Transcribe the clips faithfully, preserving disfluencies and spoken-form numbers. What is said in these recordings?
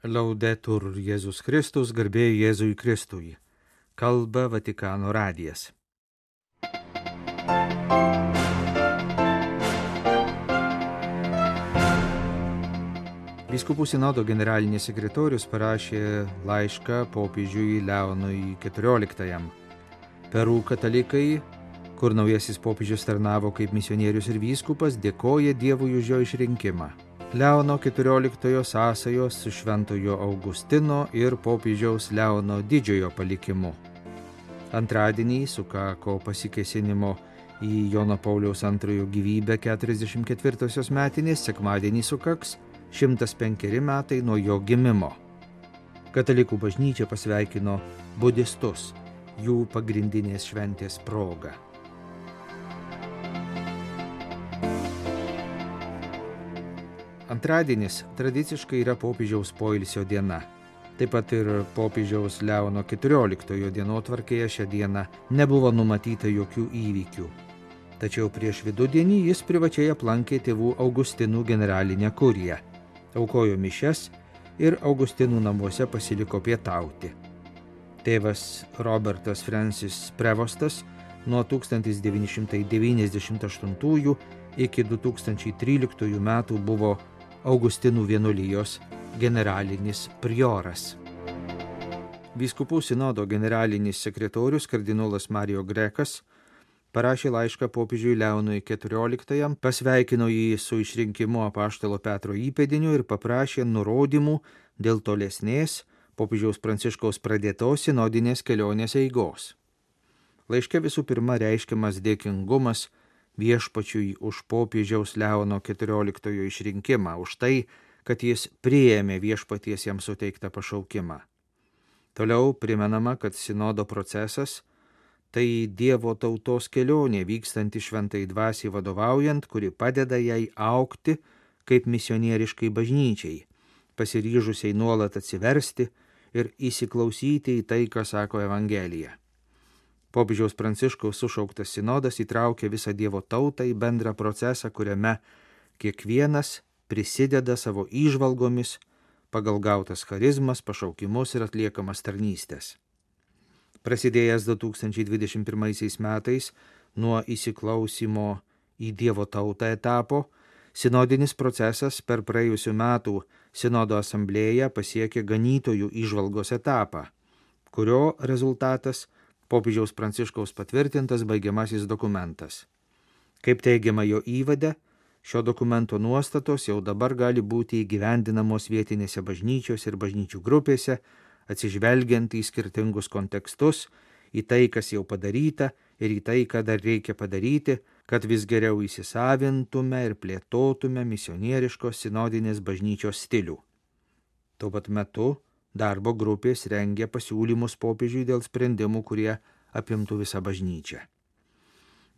Laudetur Jėzus Kristus, garbė Jėzui Kristui. Kalba Vatikano radijas. Vyskupų sinodo generalinis sekretorius parašė laišką popiežiui Leonui keturioliktajam. Peru katalikai, kur naujasis popiežius tarnavo kaip misionierius ir vyskupas, dėkoja Dievui už jo išrinkimą. Leono keturioliktojo sąsajos su šventojo Augustino ir popiežiaus Leono didžiojo palikimu. Antradienį sukako pasikėsinimo į Jono Pauliaus antrojo gyvybę keturiasdešimt ketvirtosios metinės, sekmadienį sukaks šimtas penkeri metai nuo jo gimimo. Katalikų bažnyčia pasveikino budistus jų pagrindinės šventės proga. Antradienis tradiciškai yra popiežiaus poilsio diena. Taip pat ir popiežiaus Leono keturioliktojo dienotvarkėje šią dieną nebuvo numatyta jokių įvykių. Tačiau prieš vidudienį jis privačiai aplankė tėvų Augustinų generalinę kuriją, aukojo mišias ir Augustinų namuose pasiliko pietauti. Tėvas Robertas Francis Prevostas nuo tūkstantis devyni šimtai devyniasdešimt aštuntųjų iki du tūkstančiai tryliktųjų metų buvo Augustinų vienuolijos generalinis prioras. Vyskupų sinodo generalinis sekretorius kardinolas Mario Grekas parašė laišką popiežiui Leonui keturioliktajam, pasveikino jį su išrinkimu apaštalo Petro įpėdiniu ir paprašė nurodymų dėl tolesnės popiežiaus Pranciškaus pradėtos sinodinės kelionės eigos. Laiške visų pirma reiškiamas dėkingumas viešpačiui už popiežiaus Leono keturioliktojo išrinkimą, už tai, kad jis priėmė viešpaties jam suteiktą pašaukimą. Toliau primenama, kad sinodo procesas tai Dievo tautos kelionė vykstanti šventai dvasiai vadovaujant, kuri padeda jai augti kaip misionieriškai bažnyčiai, pasiryžusiai nuolat atsiversti ir įsiklausyti į tai, ką sako Evangelija. Popiežiaus Pranciškaus sušauktas sinodas įtraukia visą Dievo tautą į bendrą procesą, kuriame kiekvienas prisideda savo įžvalgomis pagal gautas charizmas, pašaukimus ir atliekamas tarnystės. Prasidėjęs du tūkstančiai dvidešimt pirmaisiais metais nuo įsiklausimo į Dievo tautą etapo, sinodinis procesas per praėjusių metų sinodo asamblėją pasiekė ganytojų įžvalgos etapą, kurio rezultatas popiežiaus Pranciškaus patvirtintas baigiamasis dokumentas. Kaip teigiama jo įvade, šio dokumento nuostatos jau dabar gali būti įgyvendinamos vietinėse bažnyčiose ir bažnyčių grupėse, atsižvelgiant į skirtingus kontekstus, į tai, kas jau padaryta ir į tai, ką dar reikia padaryti, kad vis geriau įsisavintume ir plėtotume misionieriškos sinodinės bažnyčios stilių. Tuo pat metu darbo grupės rengia pasiūlymus popiežiui dėl sprendimų, kurie apimtų visą bažnyčią.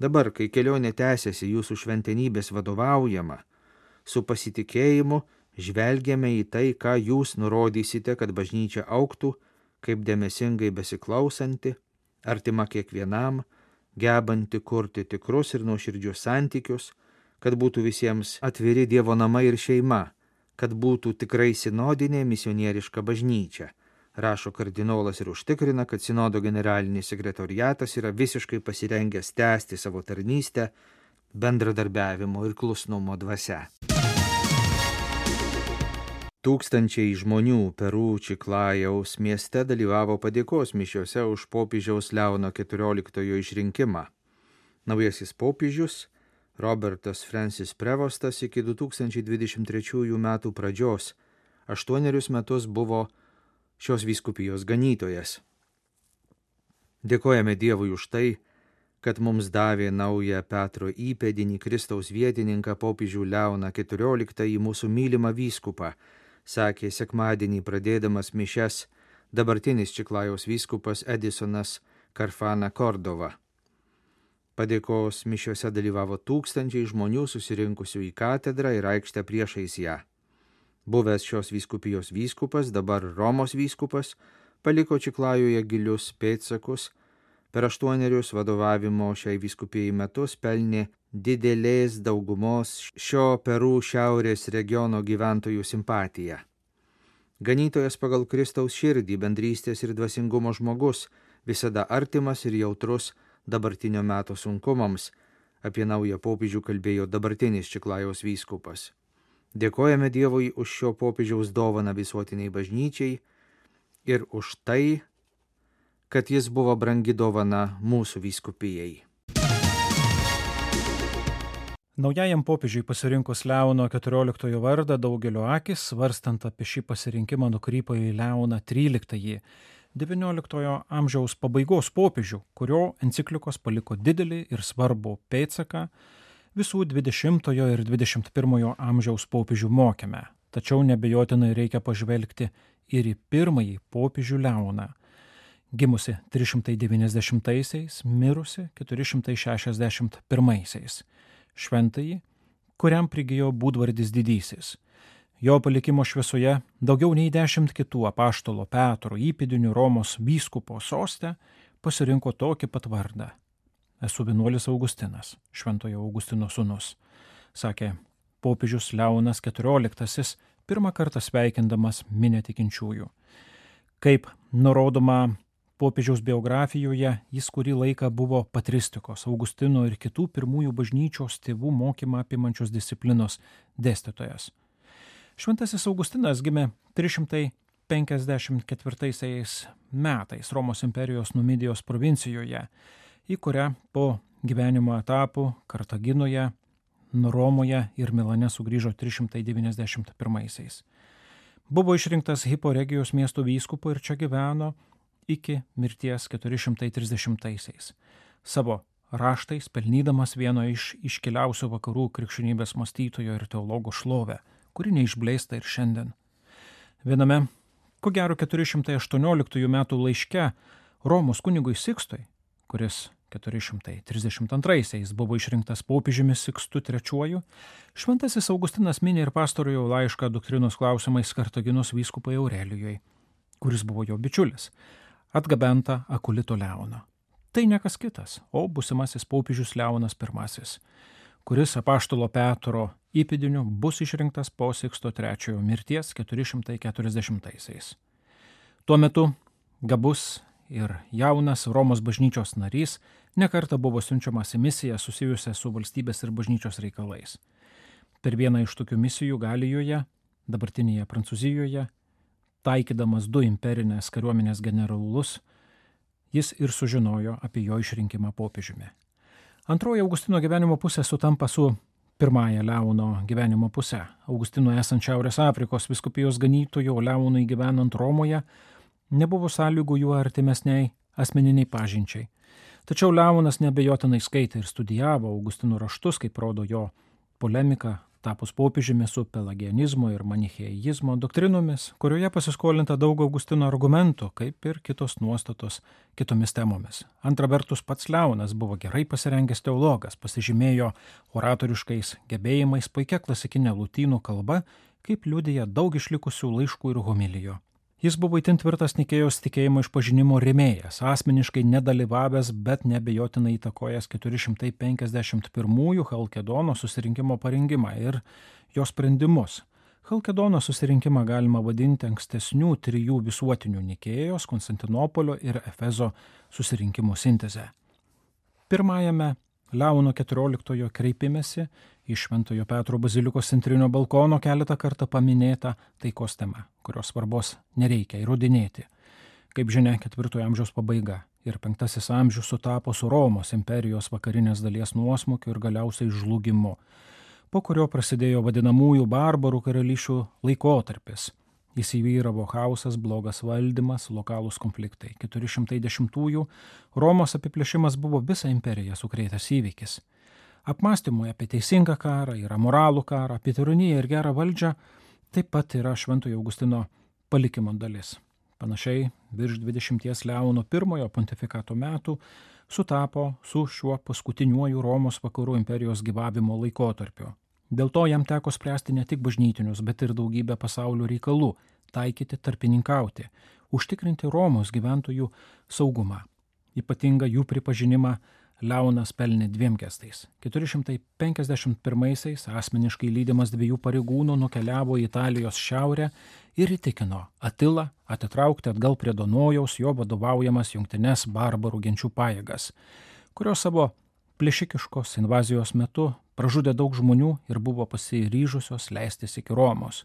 Dabar, kai kelionė tęsiasi jūsų šventenybės vadovaujama, su pasitikėjimu žvelgiame į tai, ką jūs nurodysite, kad bažnyčia augtų kaip dėmesingai besiklausanti, artima kiekvienam, gebanti kurti tikrus ir nuoširdžius santykius, kad būtų visiems atviri Dievo namai ir šeima, kad būtų tikrai sinodinė misionieriška bažnyčia, rašo kardinolas ir užtikrina, kad sinodo generalinis sekretoriatas yra visiškai pasirengęs tęsti savo tarnystę bendradarbiavimo ir klusnumo dvasia. Tūkstančiai žmonių Peru Čiklajaus mieste dalyvavo padėkos mišiose už popiežiaus Leono keturioliktojo išrinkimą. Naujasis popiežius Robertas Francis Prevostas iki du tūkstančiai dvidešimt trečiųjų metų pradžios aštuonerius metus buvo šios vyskupijos ganytojas. Dėkojame Dievui už tai, kad mums davė naują Petro įpėdinį Kristaus vietininką popiežių Leoną keturioliktąjį mūsų mylimą vyskupą, sakė sekmadienį pradėdamas mišias dabartinis Čiklajaus vyskupas Edisonas Karfana Kordova. Padėkos mišiose dalyvavo tūkstančiai žmonių susirinkusių į katedrą ir aikštę priešais ją. Buvęs šios vyskupijos vyskupas, dabar Romos vyskupas, paliko Čiklajuje gilius pėdsakus, per aštuonerius vadovavimo šiai vyskupijai metus pelnė didelės daugumos šio Peru šiaurės regiono gyventojų simpatiją. Ganytojas pagal Kristaus širdį, bendrystės ir dvasingumo žmogus, visada artimas ir jautrus dabartinio meto sunkumams. Apie naują popiežių kalbėjo dabartinis Čiklajaus vyskupas. Dėkojame Dievui už šio popiežiaus dovaną visuotiniai bažnyčiai ir už tai, kad jis buvo brangi dovana mūsų vyskupijai. Naujajam popiežiui pasirinkus Leono keturioliktojo vardą daugelio akis, svarstant apie šį pasirinkimą, nukrypo į Leoną tryliktąjį, devynioliktojo amžiaus pabaigos popiežių, kurio enciklikos paliko didelį ir svarbų pėdsaką visų dvidešimtojo ir dvidešimt pirmojo amžiaus popiežių mokyme. Tačiau nebejotinai reikia pažvelgti ir į pirmąjį popiežių Leoną, gimusi trys šimtai devyniasdešimtaisiais, mirusi keturi šimtai šešiasdešimt pirmaisiais. Šventąjį, kuriam prigijo būdvardis didysis. Jo palikimo šviesoje daugiau nei dešimt kitų apaštalo Petro įpėdinių Romos vyskupo soste pasirinko tokį pat vardą. Esu vienuolis Augustinas, Šventojo Augustino sūnus, sakė popiežius Leonas keturioliktasis, pirmą kartą sveikindamas minią tikinčiųjų. Kaip nurodoma popiežiaus biografijoje, jis kurį laiką buvo patristikos, Augustino ir kitų pirmųjų bažnyčios tėvų mokymą apimančios disciplinos dėstytojas. Šventasis Augustinas gimė trys šimtai penkiasdešimt ketvirtaisiais metais Romos imperijos Numidijos provincijoje, į kurią po gyvenimo etapų Kartaginoje, Romoje ir Milane sugrįžo trys šimtai devyniasdešimt pirmaisiais. Buvo išrinktas Hippo Regijos miesto vyskupu ir čia gyveno iki mirties keturi šimtai trisdešimtaisiais. Savo raštais pelnydamas vieno iš iškiliausių vakarų krikščionybės mąstytojo ir teologo šlovę, kuri neišblėsta ir šiandien. Viename, ko gero keturi šimtai aštuonioliktųjų metų laiške Romos kunigui Sikstui, kuris keturi šimtai trisdešimt antraisiais buvo išrinktas popiežiumi Sikstu trečiuoju, šventasis Augustinas mini ir pastarojo laišką doktrinos klausimais Kartaginos vyskupui Aurelijui, kuris buvo jo bičiulis, atgabenta Akulito Leono. Tai ne kas kitas, o būsimasis popiežius Leonas pirmasis, kuris apaštalo Petro įpėdiniu bus išrinktas po Siksto trečiojo mirties keturi šimtai keturiasdešimtaisiais. Tuo metu gabus ir jaunas Romos bažnyčios narys nekartą buvo siunčiamas į misiją susijusią su valstybės ir bažnyčios reikalais. Per vieną iš tokių misijų Galijoje, dabartinėje Prancūzijoje, taikydamas du imperinės kariuomenės generolus, jis ir sužinojo apie jo išrinkimą popiežiumi. Antroji Augustino gyvenimo pusė sutampa su pirmąja Leono gyvenimo pusė. Augustino esant Šiaurės Afrikos vyskupijos ganytojo Leonui gyvenant Romoje nebuvo sąlygų jų artimesniai asmeniniai pažinčiai. Tačiau Leonas neabejotinai skaitė ir studijavo Augustino raštus, kaip rodo jo polemika, tapus popiežiumi su pelagianizmo ir manicheizmo doktrinomis, kurioje pasiskolinta daug Augustino argumentų, kaip ir kitos nuostatos kitomis temomis. Antra vertus, pats Leonas buvo gerai pasirengęs teologas, pasižymėjo oratoriškais gebėjimais, puikia klasikinė lotynų kalba, kaip liudija daug išlikusių laiškų ir homilijų. Jis buvo itin tvirtas Nikėjos tikėjimo išpažinimo rėmėjas, asmeniškai nedalyvavęs, bet neabejotinai įtakojęs keturi šimtai penkiasdešimt pirmųjų Chalkedono susirinkimo parengimą ir jo sprendimus. Chalkedono susirinkimą galima vadinti ankstesnių trijų visuotinių Nikėjos, Konstantinopolio ir Efezo susirinkimų sintezę. Pirmajame Leono keturioliktojo kreipimėsi iš Šventojo Petro bazilikos centrinio balkono keletą kartą paminėta taikos tema, kurios svarbos nereikia įrodinėti. Kaip žinia, ketvirtojo amžiaus pabaiga ir penktasis amžius sutapo su Romos imperijos vakarinės dalies nuosmukiu ir galiausiai žlugimu, po kurio prasidėjo vadinamųjų barbarų karalysčių laikotarpis. Įsivyravo chaosas, blogas valdymas, lokalūs konfliktai. keturi šimtai dešimtųjų Romos apiplėšimas buvo visą imperiją sukrėtęs įvykis. Apmąstymui apie teisingą karą ir amoralų karą, apie tironiją ir gerą valdžią taip pat yra Šventojo Augustino palikimo dalis. Panašiai virš dvidešimties Leono pirmojo pontifikato metų sutapo su šiuo paskutiniuoju Romos vakarų imperijos gyvavimo laikotarpiu. Dėl to jam teko spręsti ne tik bažnytinius, bet ir daugybę pasaulio reikalų, taikyti, tarpininkauti, užtikrinti Romos gyventojų saugumą. Ypatingą jų pripažinimą Leonas pelnė dviem gestais. keturi šimtai penkiasdešimt pirmaisiais asmeniškai lydimas dviejų pareigūnų nukeliavo į Italijos šiaurę ir įtikino Atilą atitraukti atgal prie Dunojaus jo vadovaujamas jungtines barbarų genčių pajėgas, kurios savo plėšikiškos invazijos metu pražudė daug žmonių ir buvo pasiryžusios leistis iki Romos.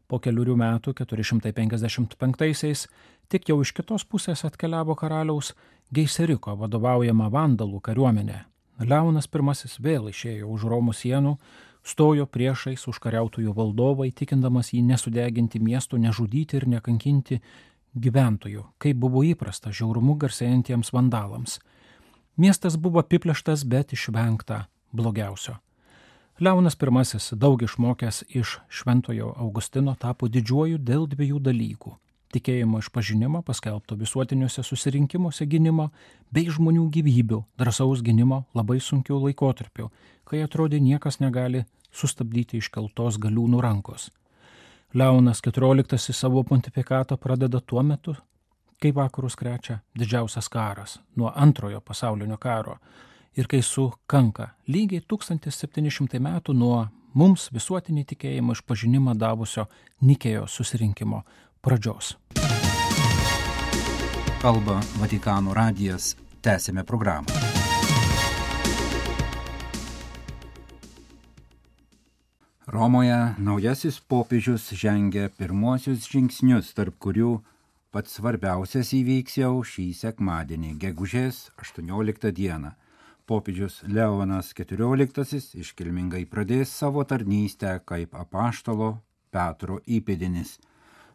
Po keliurių metų, keturi šimtai penkiasdešimt penktaisiais, tik jau iš kitos pusės atkeliavo karaliaus Geiseriko vadovaujama vandalų kariuomenė. Leonas pirmasis vėl išėjo už Romų sienų, stojo priešais užkariautojų valdovą, įtikindamas jį nesudeginti miesto, nežudyti ir nekankinti gyventojų, kaip buvo įprasta žiaurumu garsėjantiems vandalams. Miestas buvo apiplėštas, bet išvengta blogiausio. Leonas pirmasis, daug išmokęs iš Šventojo Augustino, tapo didžiuoju dėl dviejų dalykų: tikėjimo išpažinimo, paskelbto visuotiniuose susirinkimuose gynimo, bei žmonių gyvybių, drąsaus gynimo labai sunkiu laikotarpiu, kai atrodė niekas negali sustabdyti iškeltos galiūnų rankos. Leonas keturioliktasis savo pontifikatą pradeda tuo metu, kai vakarus krečia didžiausias karas nuo antrojo pasaulinio karo ir kai sukanka lygiai tūkstantis septyni šimtai metų nuo mums visuotinį tikėjimo išpažinimą davusio Nikėjos susirinkimo pradžios. Kalba Vatikano radijas, tęsėme programą. Romoje naujasis popiežius žengia pirmuosius žingsnius, tarp kurių pats svarbiausias įvyks jau šį sekmadienį, gegužės aštuonioliktą dieną. Popiežius Leonas keturioliktasis iškilmingai pradės savo tarnystę kaip apaštalo Petro įpėdinis.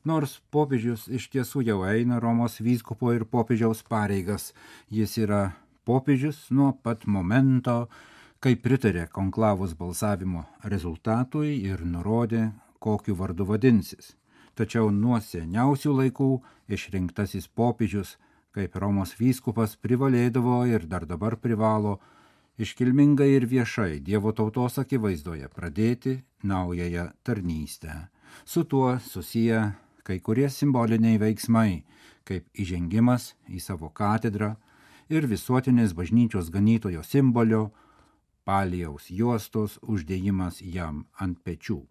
Nors popiežius iš tiesų jau eina Romos vyskupo ir popiežiaus pareigas, jis yra popiežius nuo pat momento, kai pritarė konklavos balsavimo rezultatui ir nurodė, kokiu vardu vadinsis. Tačiau nuo seniausių laikų išrinktasis popiežius, kaip Romos vyskupas, privalėdavo ir dar dabar privalo iškilmingai ir viešai Dievo tautos akivaizdoje pradėti naująją tarnystę. Su tuo susiję kai kurie simboliniai veiksmai, kaip įžengimas į savo katedrą ir visuotinės bažnyčios ganytojo simbolio palijaus juostos uždėjimas jam ant pečių.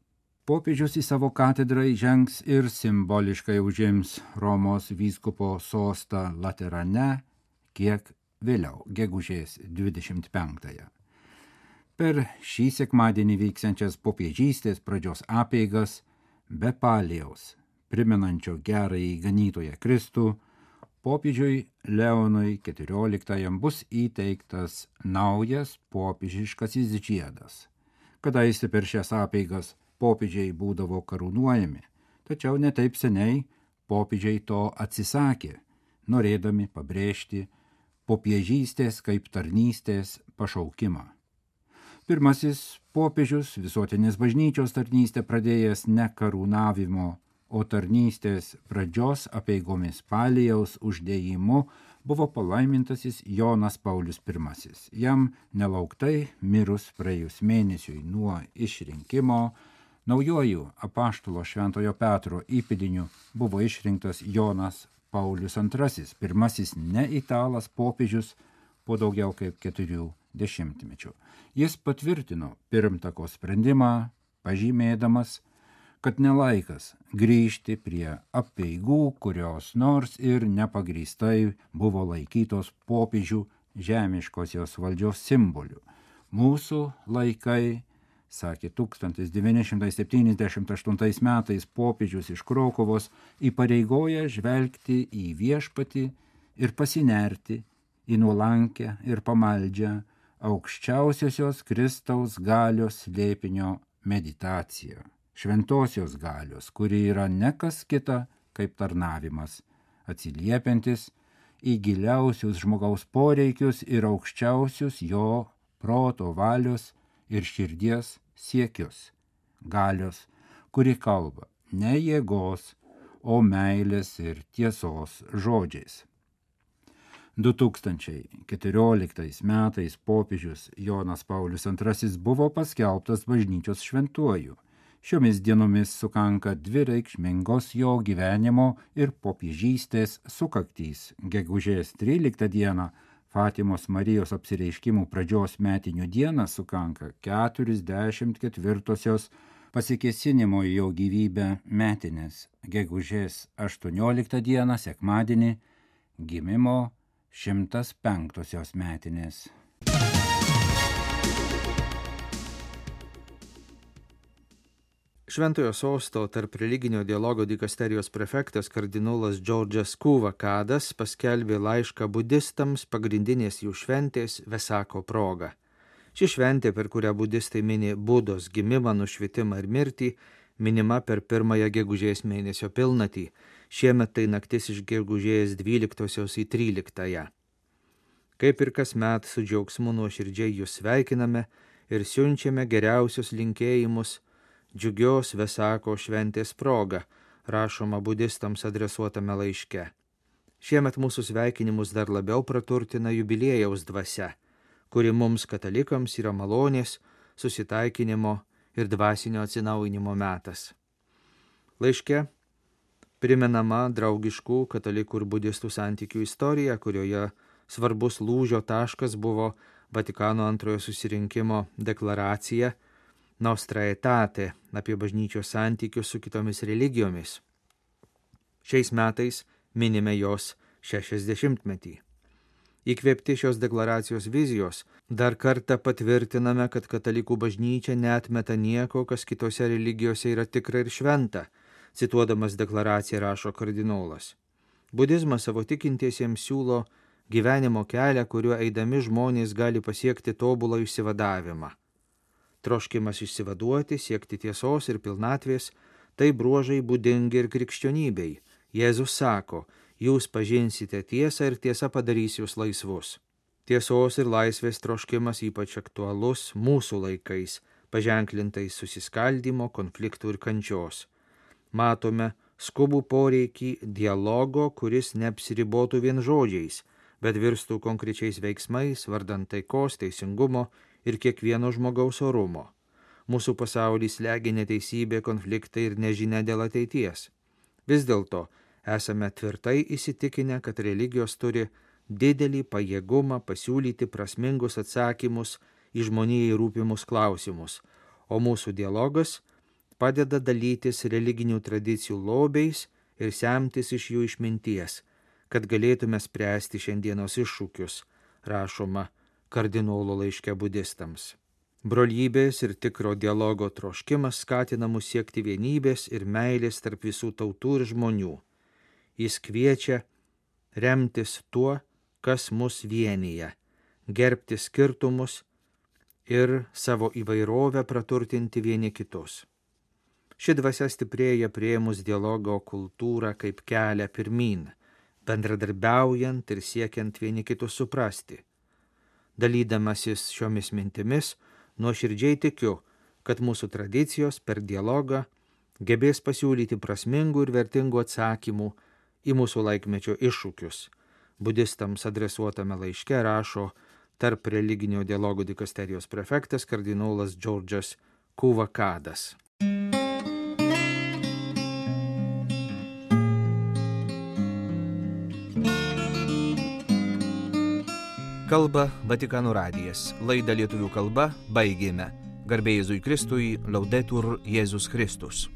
Popiežius į savo katedrą įžengs ir simboliškai užims Romos vyskupo sostą Laterane kiek vėliau, gegužės dvidešimt penktąją. Per šį sekmadienį vyksiančias popiežystės pradžios apeigas be palijaus, primenančio gerąjį ganytoją Kristų, popiežiui Leonui keturioliktajam bus įteiktas naujas popiežiškasis žiedas. Kadaise per šias apeigas popiežiai būdavo karūnuojami, tačiau ne taip seniai popiežiai to atsisakė, norėdami pabrėžti popiežystės kaip tarnystės pašaukimą. Pirmasis popiežius visuotinės bažnyčios tarnystę pradėjęs ne karūnavimo, o tarnystės pradžios apeigomis palijaus uždėjimu buvo palaimintasis Jonas Paulius pirmasis. Jam nelauktai mirus praėjus mėnesiui nuo išrinkimo, naujuoju apaštalo Šventojo Petro įpėdiniu buvo išrinktas Jonas Paulius antrasis, pirmasis ne italas popiežius po daugiau kaip keturių dešimtmečių. Jis patvirtino pirmtako sprendimą, pažymėdamas, kad nelaikas grįžti prie apeigų, kurios nors ir nepagrįstai buvo laikytos popiežių žemiškosios valdžios simboliu. Mūsų laikai, sakė tūkstantis devyni šimtai septyniasdešimt aštuntais metais popiežius iš Krokuvos, įpareigoja žvelgti į viešpatį ir pasinerti į nuolankę ir pamaldžią aukščiausiosios Kristaus galios slėpinio meditaciją. Šventosios galios, kuri yra ne kas kita kaip tarnavimas, atsiliepiantis į giliausius žmogaus poreikius ir aukščiausius jo proto, valios ir širdies siekius. Galios, kuri kalba ne jėgos, o meilės ir tiesos žodžiais. du tūkstančiai keturioliktais metais popiežius Jonas Paulius antrasis buvo paskelbtas bažnyčios šventuoju. Šiomis dienomis sukanka dvi reikšmingos jo gyvenimo ir popiežystės sukaktys. Gegužės tryliktą dieną Fatimos Marijos apsireiškimų pradžios metinių dieną sukanka keturiasdešimt ketvirtosios pasikėsinimo į jo gyvybę metinės, gegužės aštuonioliktą dieną, sekmadienį, gimimo šimtas penktosios metinės. Šventojo sosto tarp religinio dialogo dikasterijos prefektas kardinolas Džordžas Kuvakadas paskelbė laišką budistams pagrindinės jų šventės Vesako proga. Ši šventė, per kurią budistai mini Budos gimimą, nušvitimą ir mirtį, minima per pirmąją gegužės mėnesio pilnatį. Šiemet tai naktis iš gegužės dvyliktosios į tryliktąją. Kaip ir kasmet su džiaugsmu nuoširdžiai jūs sveikiname ir siunčiame geriausius linkėjimus džiugios Vesako šventės proga, rašoma budistams adresuotame laiške. Šiemet mūsų sveikinimus dar labiau praturtina jubiliejaus dvasia, kuri mums katalikams yra malonės, susitaikinimo ir dvasinio atsinaujinimo metas. Laiške primenama draugiškų katalikų ir budistų santykių istorija, kurioje svarbus lūžio taškas buvo Vatikano antrojo susirinkimo deklaracija Nostra Aetate apie bažnyčios santykius su kitomis religijomis. Šiais metais minime jos šešiasdešimtmetį. Įkvėpti šios deklaracijos vizijos, dar kartą patvirtiname, kad katalikų bažnyčia neatmeta nieko, kas kitose religijose yra tikra ir šventa, cituodamas deklaraciją rašo kardinolas. Budizmas savo tikintiesiems siūlo gyvenimo kelią, kuriuo eidami žmonės gali pasiekti tobulą išsivadavimą. Troškimas išsivaduoti, siekti tiesos ir pilnatvės, tai bruožai būdingi ir krikščionybei. Jėzus sako, jūs pažinsite tiesą ir tiesa padarys jūs laisvus. Tiesos ir laisvės troškimas ypač aktualus mūsų laikais, paženklintais susiskaldymo, konfliktų ir kančios. Matome skubų poreikį dialogo, kuris neapsiribotų vien žodžiais, bet virstų konkrečiais veiksmais, vardant taikos, teisingumo ir kiekvieno žmogaus orumo. Mūsų pasaulį slegia neteisybė, konfliktai ir nežinia dėl ateities. Vis dėlto esame tvirtai įsitikinę, kad religijos turi didelį pajėgumą pasiūlyti prasmingus atsakymus į žmonijai rūpimus klausimus, o mūsų dialogas padeda dalytis religinių tradicijų lobiais ir semtis iš jų išminties, kad galėtume spręsti šiandienos iššūkius, rašoma kardinolo laiške budistams. Brolybės ir tikro dialogo troškimas skatina mus siekti vienybės ir meilės tarp visų tautų ir žmonių. Jis kviečia remtis tuo, kas mus vienyje, gerbti skirtumus ir savo įvairovę praturtinti vieni kitus. Ši dvasia stiprėja priėmus dialogo kultūrą kaip kelią pirmyn, bendradarbiaujant ir siekiant vieni kitus suprasti. Dalydamasis šiomis mintimis, nuoširdžiai tikiu, kad mūsų tradicijos per dialogą gebės pasiūlyti prasmingų ir vertingų atsakymų į mūsų laikmečio iššūkius. Budistams adresuotame laiške rašo tarp religinio dialogo dikasterijos prefektas kardinolas Džordžas Kuvakadas. Kalba Vatikano radijas. Laidą lietuvių kalba baigėme. Garbė Jėzui Kristui, Laudetur Jėzus Kristus.